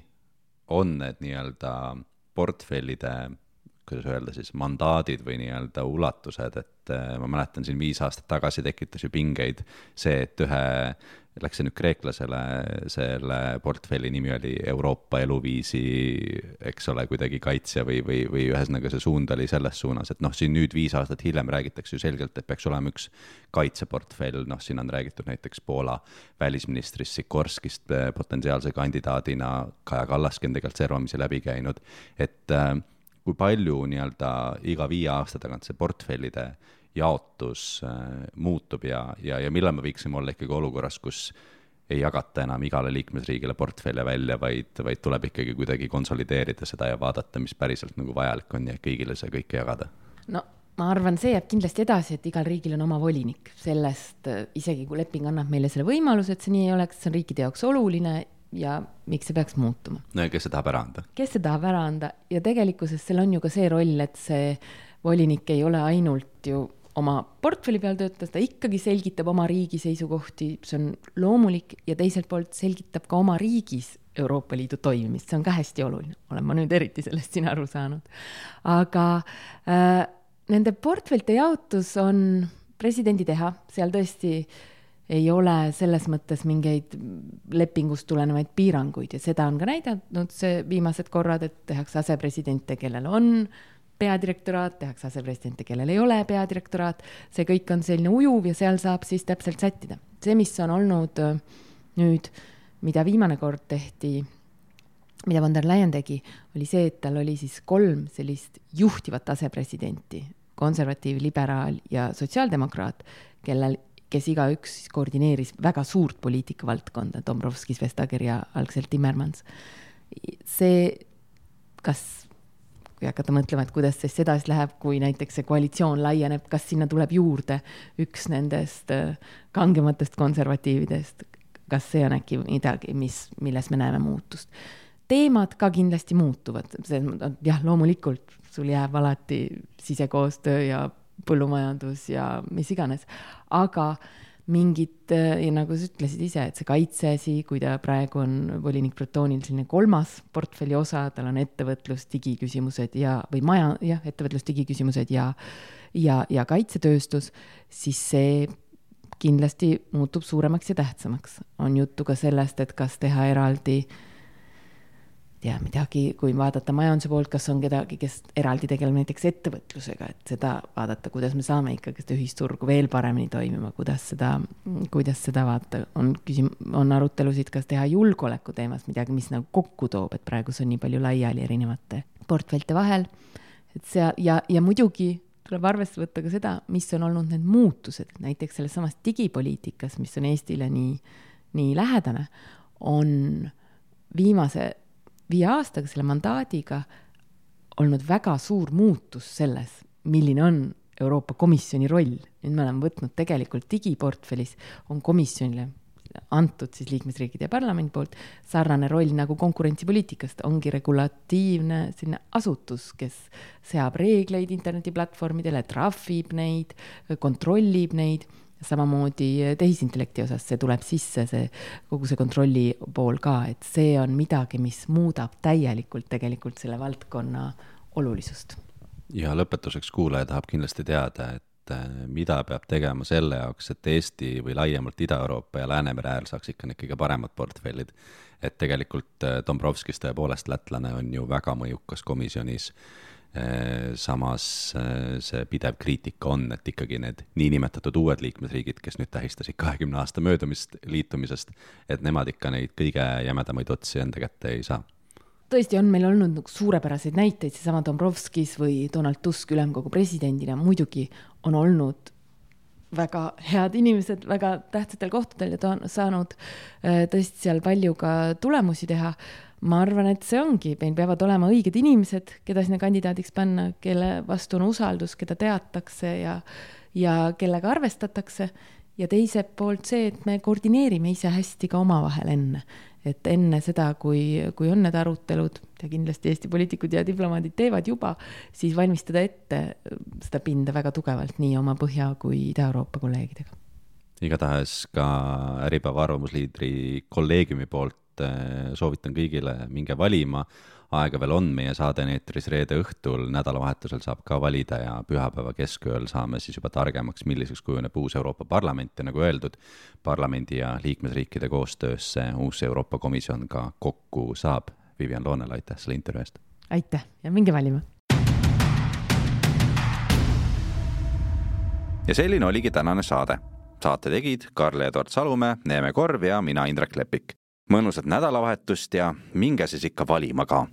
on need nii-öelda portfellide, kuidas öelda siis, mandaadid või nii-öelda ulatused, et ma mäletan siin viis aastat tagasi tekitas ju pingeid see, et ühe, läks see nüüd kreeklasele, selle portfelli nimi oli Euroopa eluviisi, eks ole, kuidagi kaitsja või, või, või ühesõnaga see suund oli selles suunas, et noh, siin nüüd viis aastat hiljem räägitakse ju selgelt, et peaks olema üks kaitseportfell, noh, siin on räägitud näiteks Poola välisministrist Sikorskist potentsiaalse kandidaadina, Kaja Kallaski on tegelikult servamisi läbi käinud, et kui palju nii-öelda iga viie aasta tagant see portfellide jaotus muutub ja, ja, ja millal me võiksime olla ikkagi olukorras, kus ei jagata enam igale liikmesriigile portfelle välja, vaid, vaid tuleb ikkagi kuidagi konsolideerida seda ja vaadata, mis päriselt nagu vajalik on ja kõigile see kõike jagada? No ma arvan, see jääb kindlasti edasi, et igal riigil on oma volinik. Sellest isegi kui leping annab meile selle võimaluse, et see nii ei oleks, see on riikide jaoks oluline ja miks see peaks muutuma. No ja kes see tahab ära anda? Kes see tahab ära anda ja tegelikkuses seal on ju ka see roll, et see volinik ei ole ainult ju oma portfelli peal töötas, ta ikkagi selgitab oma riigi seisukohti, see on loomulik, ja teiselt poolt selgitab ka oma riigis Euroopa Liidu toimimist, see on ka hästi oluline, olen ma nüüd eriti sellest siin aru saanud. Aga äh, nende portfellite jaotus on presidendi teha, seal tõesti ei ole selles mõttes mingeid lepingust tulenevaid piiranguid ja seda on ka näidanud see viimased korrad, et tehakse asepresidente, kellel on peadirektoraat, tehakse asepresidente, kellel ei ole peadirektoraat, see kõik on selline ujuv ja seal saab siis täpselt sättida. See, mis on olnud nüüd, mida viimane kord tehti, mida von der Leyen tegi, oli see, et tal oli siis kolm sellist juhtivat asepresidenti, konservatiiv, liberaal ja sotsiaaldemokraat, kellel, kes igaüks siis koordineeris väga suurt poliitikavaldkonda, Dombrovskis, Vestager ja algselt Timmermans. See, kas kui hakata mõtlema, et kuidas see sedasi läheb, kui näiteks see koalitsioon laieneb, kas sinna tuleb juurde üks nendest kangematest konservatiividest, kas see on äkki midagi, mis, milles me näeme muutust. Teemad ka kindlasti muutuvad, see, jah, loomulikult sul jääb alati sisekoostöö ja põllumajandus ja mis iganes, aga mingid, ja nagu sa ütlesid ise, et see kaitseasi, kui ta praegu on volinik Bretonil selline kolmas portfelli osa, tal on ettevõtlus, digiküsimused ja, või maja, jah, ettevõtlus, digiküsimused ja, ja, ja kaitsetööstus, siis see kindlasti muutub suuremaks ja tähtsamaks. On juttu ka sellest, et kas teha eraldi ja midagi, kui vaadata majanduse poolt, kas on kedagi, kes eraldi tegeleb näiteks ettevõtlusega, et seda vaadata, kuidas me saame ikkagi seda ühisturgu veel paremini toimima, kuidas seda, kuidas seda vaata, on, küsim, on arutelusid, kas teha julgeoleku teemas midagi, mis nagu kokku toob, et praegu see on nii palju laiali erinevate portfellte vahel, et see, ja, ja muidugi tuleb arvesse võtta ka seda, mis on olnud need muutused, näiteks selles samas digipoliitikas, mis on Eestile nii, nii lähedane, on viimase viie aastaga selle mandaadiga olnud väga suur muutus selles, milline on Euroopa Komisjoni roll. Nüüd me oleme võtnud tegelikult digiportfellis, on komisjonile antud siis liikmesriikide ja parlamendi poolt sarnane roll nagu konkurentsipoliitikast, ongi regulatiivne selline asutus, kes seab reegleid internetiplatvormidele, trahvib neid, kontrollib neid, samamoodi tehisintellekti osas see tuleb sisse, see, kogu see kontrolli pool ka, et see on midagi, mis muudab täielikult tegelikult selle valdkonna olulisust. Ja lõpetuseks kuulaja tahab kindlasti teada, et mida peab tegema selle jaoks, et Eesti või laiemalt Ida-Euroopa ja Läänemere äär saaks ikka kõige paremad portfellid. Et tegelikult Dombrovskis tõepoolest lätlane on ju väga mõjukas komisjonis. Samas see pidev kriitika on, et ikkagi need niinimetatud uued liikmesriigid, kes nüüd tähistasid kahekümne aasta möödumist liitumisest, et nemad ikka neid kõige jämedamaid otsi enda kätte ei saa. Tõesti on meil olnud suurepäraseid näiteid, see sama Dombrovskis või Donald Tusk ülemkogu presidendina muidugi on olnud väga head inimesed, väga tähtsatel kohtadel ja ta on saanud tõesti seal palju ka tulemusi teha. Ma arvan, et see ongi, meil peavad olema õiged inimesed, keda sinna kandidaadiks panna, kelle vastu on usaldus, keda teatakse ja, ja kellega arvestatakse. Ja teiselt poolt see, et me koordineerime ise hästi ka oma vahel enne. Et enne seda, kui, kui on need arutelud, ja kindlasti Eesti poliitikud ja diplomaadid teevad juba, siis valmistada ette seda pinda väga tugevalt nii oma Põhja kui Ida-Euroopa kolleegidega. Igatahes ka Äripäeva arvamusliidri kolleegiumi poolt soovitan kõigile minge valima. Aega veel on, meie saade eetris reede õhtul, nädalavahetusel saab ka valida ja pühapäeva keskööl saame siis juba targemaks, milliseks kujuneb uus Euroopa Parlament ja nagu öeldud, parlamendi ja liikmesriikide koostöösse uus Euroopa Komisjon ka kokku saab. Vivian Loonel, aitäh selle intervjuu eest. Aitäh ja minge valima. Ja selline oligi tänane saade. Saate tegid Karl-Edward Salumäe, Neeme Korv ja mina Indrek Lepik. Mõnusat nädalavahetust ja minge siis ikka valima ka.